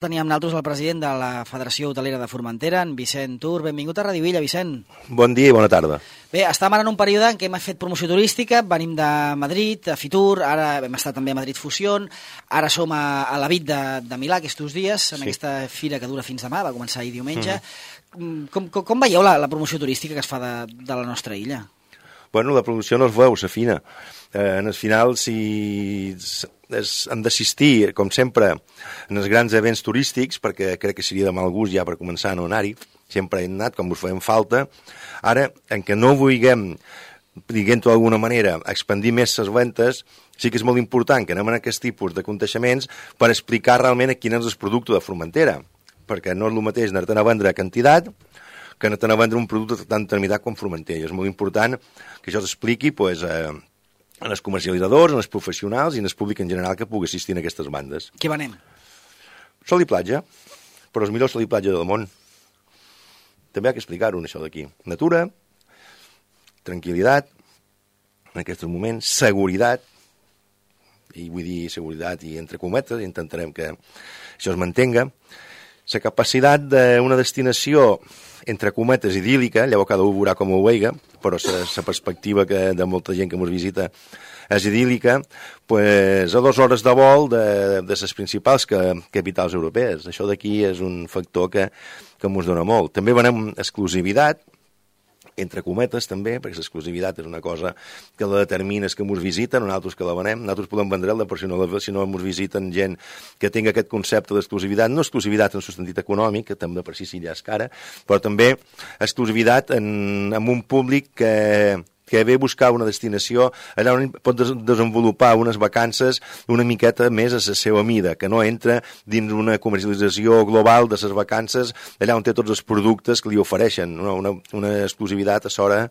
Teníem nosaltres el president de la Federació Hotelera de Formentera, en Vicent Tur. Benvingut a Radio Villa, Vicent. Bon dia i bona tarda. Bé, estàvem ara en un període en què hem fet promoció turística, venim de Madrid, a Fitur, ara hem estat també a Madrid Fusión, ara som a la VIT de Milà aquests dies, en aquesta fira que dura fins demà, va començar ahir diumenge. Com veieu la promoció turística que es fa de la nostra illa? Bueno, la producció no es veu, s'afina. En el final, si hem d'assistir, com sempre, en els grans events turístics, perquè crec que seria de mal gust ja per començar a no anar-hi, sempre hem anat, com us fem falta. Ara, en què no vulguem, diguem-ho d'alguna manera, expandir més les ventes, sí que és molt important que anem en aquest tipus de aconteixements per explicar realment quin és el producte de Formentera, perquè no és el mateix anar-te'n a vendre quantitat que anar-te'n a vendre un producte tan determinat com Formentera. És molt important que això s'expliqui en els comercialitzadors, en els professionals i en el públic en general que pugui assistir a aquestes bandes. Què venem? Sol i platja, però els millors sol i platja del món. També hi ha que explicar-ho, això d'aquí. Natura, tranquil·litat, en aquests moments, seguretat, i vull dir seguretat i entre cometes, intentarem que això es mantenga. La capacitat d'una destinació entre cometes idíl·lica, llavors cada un veurà com ho veiga, però la perspectiva de molta gent que ens visita és idíl·lica, pues, a 2 hores de vol de les principals capitals europees. Això d'aquí és un factor que ens dona molt. També venem exclusivitat, entre cometes també, perquè l'exclusivitat és una cosa que la determina és que ens visiten, nosaltres que la venem, nosaltres podem vendre-la, però si no ens visiten gent que tingui aquest concepte d'exclusivitat, no exclusivitat en el sentit econòmic, que també per si sí ja és cara, però també exclusivitat amb un públic que ve a buscar una destinació allà on pot desenvolupar unes vacances una miqueta més a la seva mida, que no entra dins una comercialització global de les vacances allà on té tots els productes que li ofereixen, una exclusivitat a l'hora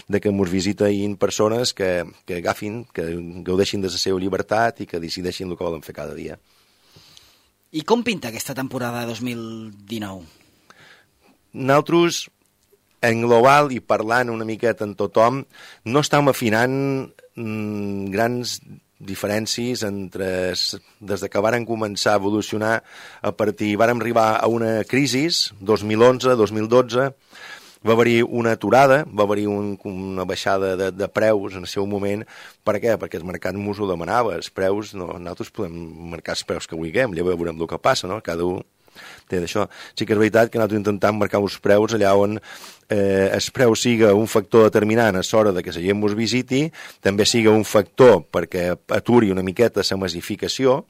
de que ens visiten persones que agafin, que gaudeixin de la seva llibertat i que decideixin el que volen fer cada dia. I com pinta aquesta temporada 2019? Nosaltres, en global i parlant una miqueta amb tothom, no estem afinant grans diferències des que varen començar a evolucionar vàrem arribar a una crisi, 2011, 2012, va haver-hi una aturada, va haver-hi una baixada de preus en el seu moment. Per què? Perquè el mercat ens ho demanava. Els preus, nosaltres podem marcar els preus que vulguem, llavors veurem el que passa, no? Cada un té d'això. Sí que és veritat que nosaltres intentem marcar uns preus allà on el preu siga un factor determinant a l'hora de que la gent ens visiti, també siga un factor perquè aturi una miqueta la massificació,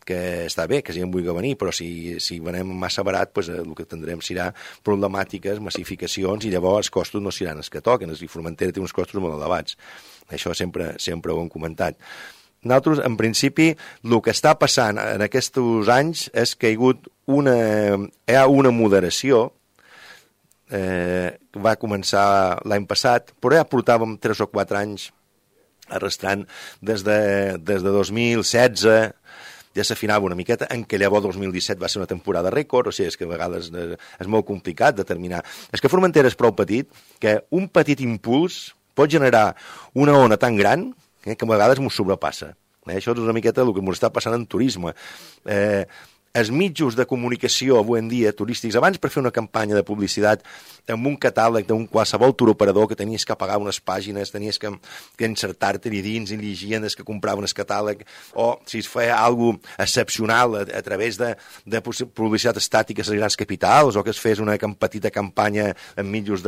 que està bé, que la gent vulgui venir, però si venem massa barat, pues, el que tindrem serà problemàtiques, massificacions, i llavors els costos no seran els que toquen. I Formentera té uns costos molt elevats. Això sempre ho hem comentat. Nosaltres, en principi, el que està passant en aquests anys és que hi ha una moderació que va començar l'any passat, però ja portàvem 3 o 4 anys arrastrant des de 2016, ja s'afinava una miqueta, en què llavors 2017 va ser una temporada rècord, o sigui, és que a vegades és molt complicat determinar. És que Formentera és prou petit que un petit impuls pot generar una ona tan gran que a vegades ens sobrepassa. Això és una miqueta el que ens està passant en turisme. Els mitjans de comunicació avui en dia turístics, abans per fer una campanya de publicitat amb un catàleg d'un qualsevol turoperador que tenies que pagar unes pàgines, tenies que insertar-te-hi dins i llegir des que compraven el catàleg, o si es feia alguna cosa excepcional a través de publicitat estàtica a les grans capitals, o que es fes una petita campanya en mitjans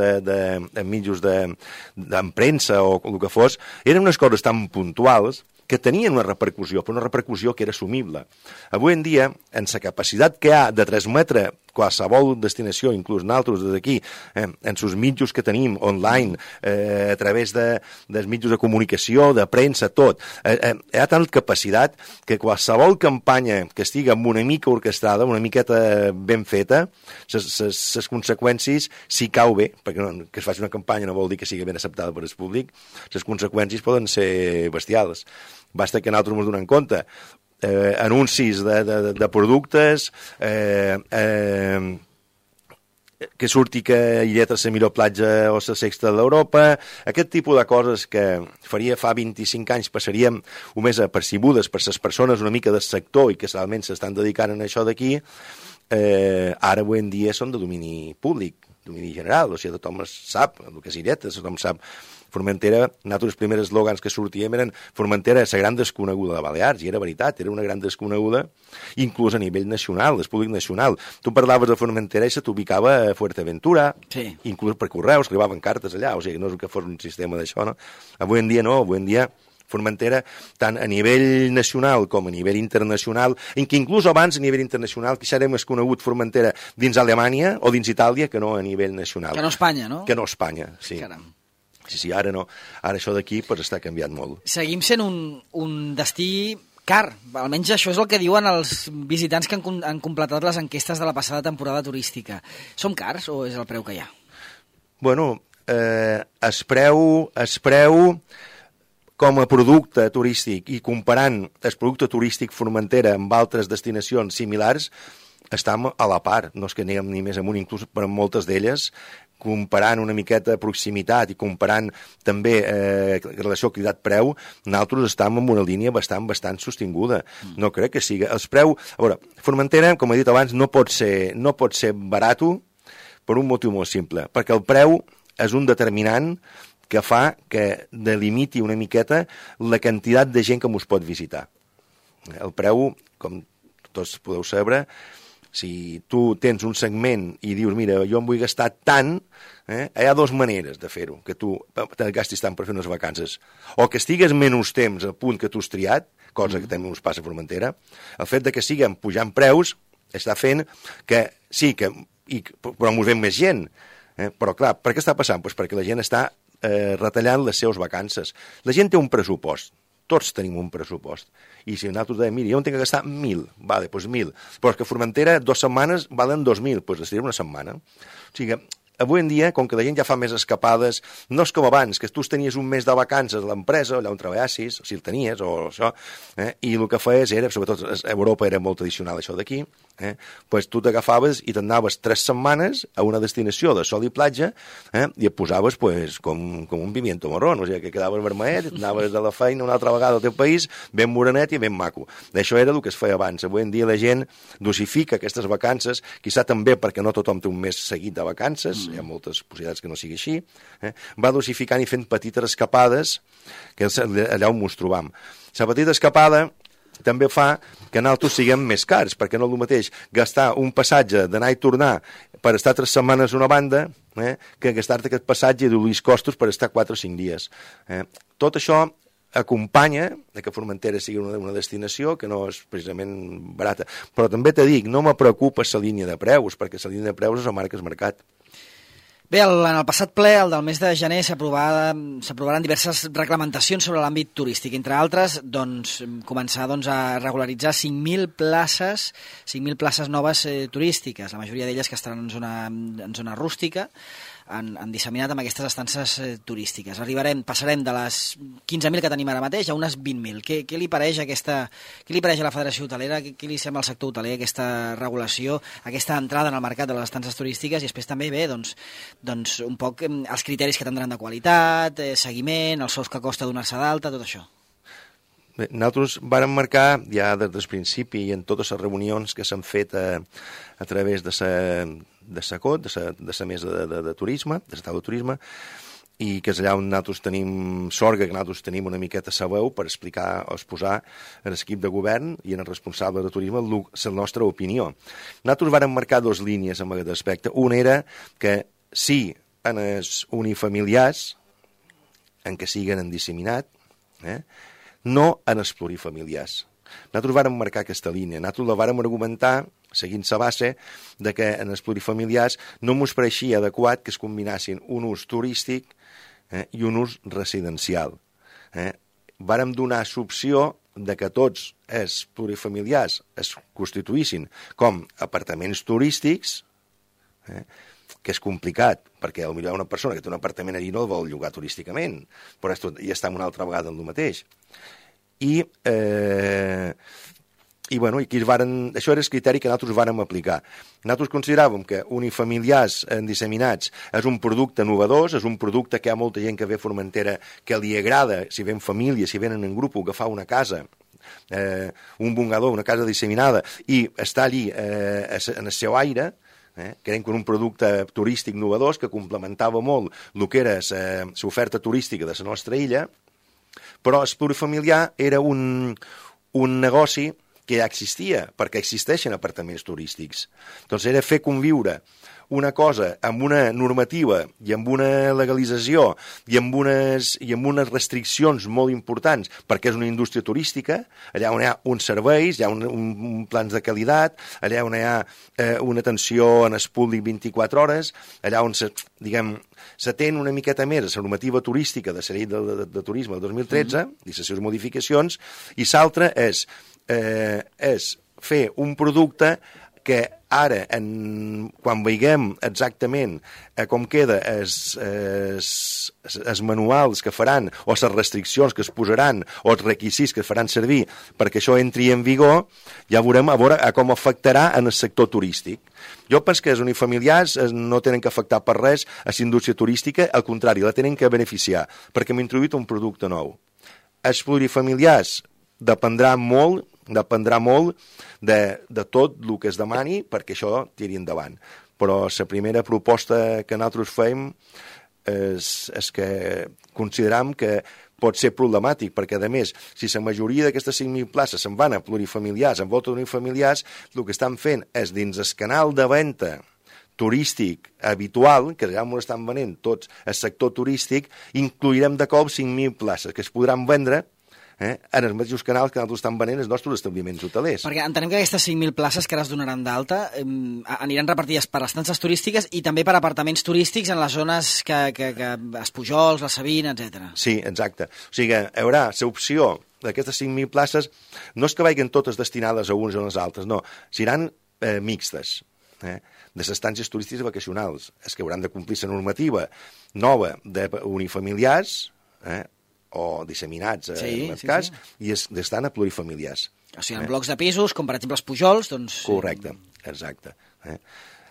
d'empremsa o el que fos, eren unes coses tan puntuals que tenien una repercussió, però una repercussió que era assumible. Avui en dia, en la capacitat que hi ha de transmetre qualsevol destinació, inclús nosaltres des d'aquí, en els mitjans que tenim online, a través dels mitjans de comunicació, de premsa, tot, hi ha tanta capacitat que qualsevol campanya que estigui amb una mica orquestrada, una miqueta ben feta, les conseqüències, si cau bé, perquè que es faci una campanya no vol dir que sigui ben acceptada per el públic, les conseqüències poden ser bestials. Basta que nosaltres ens donem compte. Anuncis de productes, que surti que Illeta és la millor platja o la sexta d'Europa, aquest tipus de coses que faria fa 25 anys passaríem més apercibudes per les persones una mica del sector i que realment s'estan dedicant a això d'aquí, ara avui en dia són de domini públic, domini general, o sigui, tothom sap el que és Illeta, tothom sap Formentera. Nosaltres els primers eslògans que sortíem eren Formentera, la gran desconeguda de Balears, i era veritat, era una gran desconeguda, inclús a nivell nacional, del públic nacional. Tu parlaves de Formentera i se t'ubicava a Fuerteventura, sí. Inclús per correus, arribaven cartes allà, o sigui, no és que fos un sistema d'això, no? Avui en dia no, avui en dia Formentera, tant a nivell nacional com a nivell internacional, en què inclús abans a nivell internacional quizà era més conegut Formentera dins Alemanya o dins Itàlia que no a nivell nacional. Que no Espanya, no? Que no Espanya, sí. Caram. Sí, ara no. Ara això d'aquí pues, està canviant molt. Seguim sent un destí car. Almenys això és el que diuen els visitants que han completat les enquestes de la passada temporada turística. Som cars o és el preu que hi ha? Bueno, es preu com a producte turístic i comparant el producte turístic Formentera amb altres destinacions similars, estem a la part. No és que anem ni més amunt, inclús per moltes d'elles, comparant una miqueta de proximitat i comparant també relació qualitat-preu, nosaltres estem en una línia bastant sostinguda. No crec que sigui... Els preu... A veure, Formentera, com he dit abans, no pot ser barat per un motiu molt simple, perquè el preu és un determinant que fa que delimiti una miqueta la quantitat de gent que mos pot visitar. El preu, com tots podeu saber, si tu tens un segment i dius, mira, jo em vull gastar tant, hi ha dues maneres de fer-ho, que tu te gastis tant per fer unes vacances. O que estigues menys temps al punt que tu has triat, cosa que també ens passa a Formentera, el fet de que siguem pujant preus està fent que sí, però mos ven més gent. Però clar, per què està passant? Pues perquè la gent està retallant les seves vacances. La gent té un pressupost. Tots tenim un pressupost. I si nosaltres dèiem, mira, jo em tinc que gastar 1.000, vale, doncs 1.000. Però és que a Formentera 2 setmanes valen 2.000, doncs estirem una setmana. O sigui, avui en dia, com que la gent ja fa més escapades, no és com abans, que tu tenies un mes de vacances a l'empresa, allà on treballessis, si el tenies, o això, i el que feies era, sobretot a Europa era molt tradicional això d'aquí, pues tu t'agafaves i t'anaves 3 setmanes a una destinació de sol i platja i et posaves pues, com un pimiento marrón, o sigui, que quedaves vermellet, anaves a la feina una altra vegada al teu país, ben morenet i ben maco. Això era el que es feia abans. Avui en dia la gent dosifica aquestes vacances, quizà també perquè no tothom té un mes seguit de vacances, hi ha moltes possibilitats que no sigui així, va dosificant i fent petites escapades, que és allà on ens trobam. La petita escapada també fa que nosaltres siguem més cars, perquè no és el mateix gastar un passatge d'anar i tornar per estar 3 setmanes a una banda que gastar-te aquest passatge i d'oblís costos per estar 4 o 5 dies. Tot això acompanya que Formentera sigui una destinació que no és precisament barata. Però també t'he dit, no me preocupa la línia de preus, perquè la línia de preus és la marca és mercat. Bé, en el passat ple, el del mes de gener, s'aprovaran diverses reglamentacions sobre l'àmbit turístic. Entre altres, començar a regularitzar 5.000 places noves turístiques, la majoria d'elles que estaran en zona rústica, han disseminat amb aquestes estances turístiques. Passarem de les 15.000 que tenim ara mateix a unes 20.000. Què li pareix a la Federació Hotelera? Què li sembla al sector hoteler aquesta regulació, aquesta entrada en el mercat de les estances turístiques i després també un poc els criteris que tindran de qualitat, seguiment, els sous que costa donar-se d'alta, tot això? Bé, nosaltres vàrem marcar ja des del principi i en totes les reunions que s'han fet a través de SACOT, de la mesa de turisme, de l'estat de turisme, i que és allà on nosaltres tenim sort, que nosaltres tenim una miqueta sa veu per explicar o exposar a l'equip de govern i en el responsable de turisme la nostra opinió. Nosaltres vàrem marcar 2 línies en aquest aspecte. Una era que sí en els unifamiliars, en què siguen en disseminat, no en els plurifamiliars. Nosaltres vàrem marcar aquesta línia, nosaltres la vàrem argumentar seguint la base de que en els plurifamiliars no ens pareixia adequat que es combinassin un ús turístic i un ús residencial. Vàrem donar l'opció de que tots els plurifamiliars es constituïssin com apartaments turístics, que és complicat, perquè potser una persona que té un apartament allí no el vol llogar turísticament, però ja està una altra vegada en el mateix. I bueno, i aquí això era el criteri que nosaltres vàrem aplicar. Nosaltres consideràvem que unifamiliars disseminats és un producte novedós, és un producte que hi ha molta gent que ve a Formentera que li agrada, si ven família, si venen en grup, agafar una casa, un bungador, una casa disseminada, i estar allí en el seu aire, creiem que era un producte turístic novedós que complementava molt el que era l'oferta turística de la nostra illa, però el plurifamiliar era un negoci que ja existia, perquè existeixen apartaments turístics. Doncs era fer conviure una cosa amb una normativa i amb una legalització i amb unes restriccions molt importants, perquè és una indústria turística, allà on hi ha uns serveis, hi ha un plans de qualitat, allà on hi ha una atenció en el públic 24 hores, allà on s'atén una miqueta més a la normativa turística de la llei de turisme del 2013 i les seves modificacions, i l'altre és fer un producte que ara, quan veiem exactament com queda els manuals que faran, o les restriccions que es posaran, o els requisits que es faran servir perquè això entri en vigor, ja veurem a veure com afectarà en el sector turístic. Jo penso que els unifamiliars no tenen que afectar per res a la indústria turística, al contrari, la tenen que beneficiar, perquè hem introduït un producte nou. Els plurifamiliars dependrà molt de tot el que es demani perquè això tiri endavant. Però la primera proposta que nosaltres fem és que consideram que pot ser problemàtic, perquè, a més, si la majoria d'aquestes 5.000 places se'n van a plurifamiliars, en volta d'unifamiliars, el que estan fent és, dins el canal de venda turístic habitual, que ja m'ho estan venent tots el sector turístic, incluirem de cop 5.000 places que es podran vendre en els mateixos canals que nosaltres estan venent els nostres establiments hotelers. Perquè entenem que aquestes 5.000 places que ara es donaran d'alta aniran repartides per estances turístiques i també per apartaments turístics en les zones que Espujols, la Sabina, etc. Sí, exacte. O sigui, hi haurà l'opció d'aquestes 5.000 places, no és que vagin totes destinades a uns o a les altres, no, seran mixtes, de les estàncies turístiques vacacionals, és que hauran de complir la normativa nova d'unifamiliars, o disseminats en el cas, i estan a plurifamiliars. O sigui, en blocs de pisos, com per exemple els Pujols, doncs... Correcte, exacte.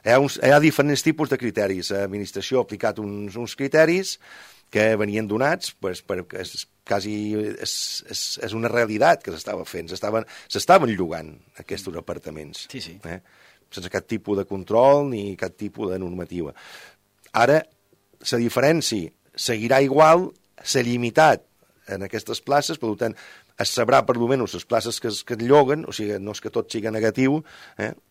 Hi ha diferents tipus de criteris. L'administració ha aplicat uns criteris que venien donats perquè és una realitat que s'estava fent. S'estaven llogant aquests apartaments. Sí. Sense cap tipus de control ni cap tipus de normativa. Ara, la diferència seguirà igual, s'ha limitat en aquestes places, per tant, es sabrà per almenys les places que es lloguen, o sigui, no és que tot sigui negatiu,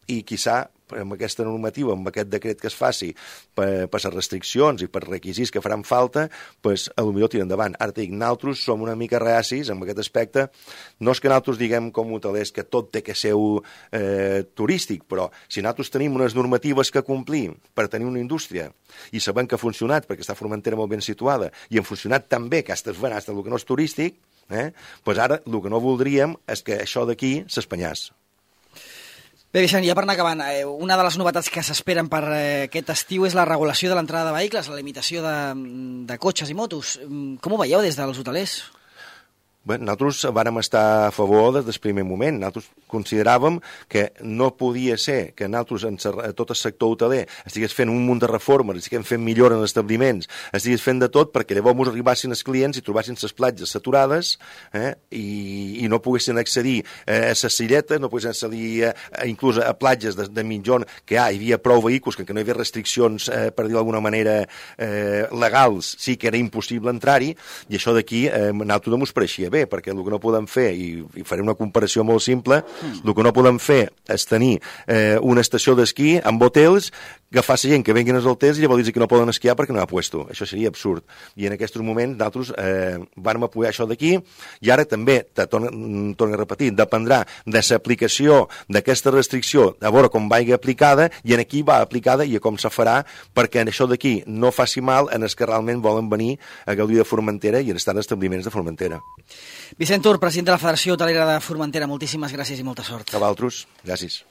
i quizà amb aquesta normativa, amb aquest decret que es faci per les restriccions i per requisits que faran falta, doncs potser tira endavant. Ara dic, nosaltres som una mica reacis en aquest aspecte. No és que nosaltres diguem com hotelers que tot té que ser turístic, però si nosaltres tenim unes normatives que complir per tenir una indústria i sabem que ha funcionat perquè està Formentera molt ben situada i ha funcionat tan bé que has d'esvenar el que no és turístic, doncs ara el que no voldríem és que això d'aquí s'espanyàs. Bé, Vicent, ja per anar acabant, una de les novetats que s'esperen per aquest estiu és la regulació de l'entrada de vehicles, la limitació de cotxes i motos. Com ho veieu des dels hotelers? Bé, nosaltres vàrem estar a favor des del primer moment. Nosaltres consideràvem que no podia ser que nosaltres, a tot el sector hoteler, estigués fent un munt de reformes, estiguem fent millora en els establiments, estigués fent de tot perquè llavors arribassin els clients i trobassin les platges saturades i no poguessin accedir a les silletes, no poguessin accedir inclús a platges de mitjon que hi havia prou vehicles, que no hi havia restriccions, per dir d'alguna manera, legals, sí que era impossible entrar-hi, i això d'aquí nosaltres no ens pareixia bé, perquè el que no podem fer, i faré una comparació molt simple, el que no podem fer és tenir una estació d'esquí amb hotels, agafar la gent que venguen als hotels i llavors dir que no poden esquiar perquè no hi ha puesto. Això seria absurd. I en aquests moments nosaltres vam apoyar això d'aquí, i ara també, torno a repetir, dependrà de l'aplicació d'aquesta restricció, a veure com vagi aplicada, i en aquí va aplicada i a com se farà, perquè això d'aquí no faci mal en els que realment volen venir a gaudir de Formentera i en estar en establiments de Formentera. Vicent Tur, president de la Federació Hotelera de Formentera, moltíssimes gràcies i molta sort. A vosaltres, gràcies.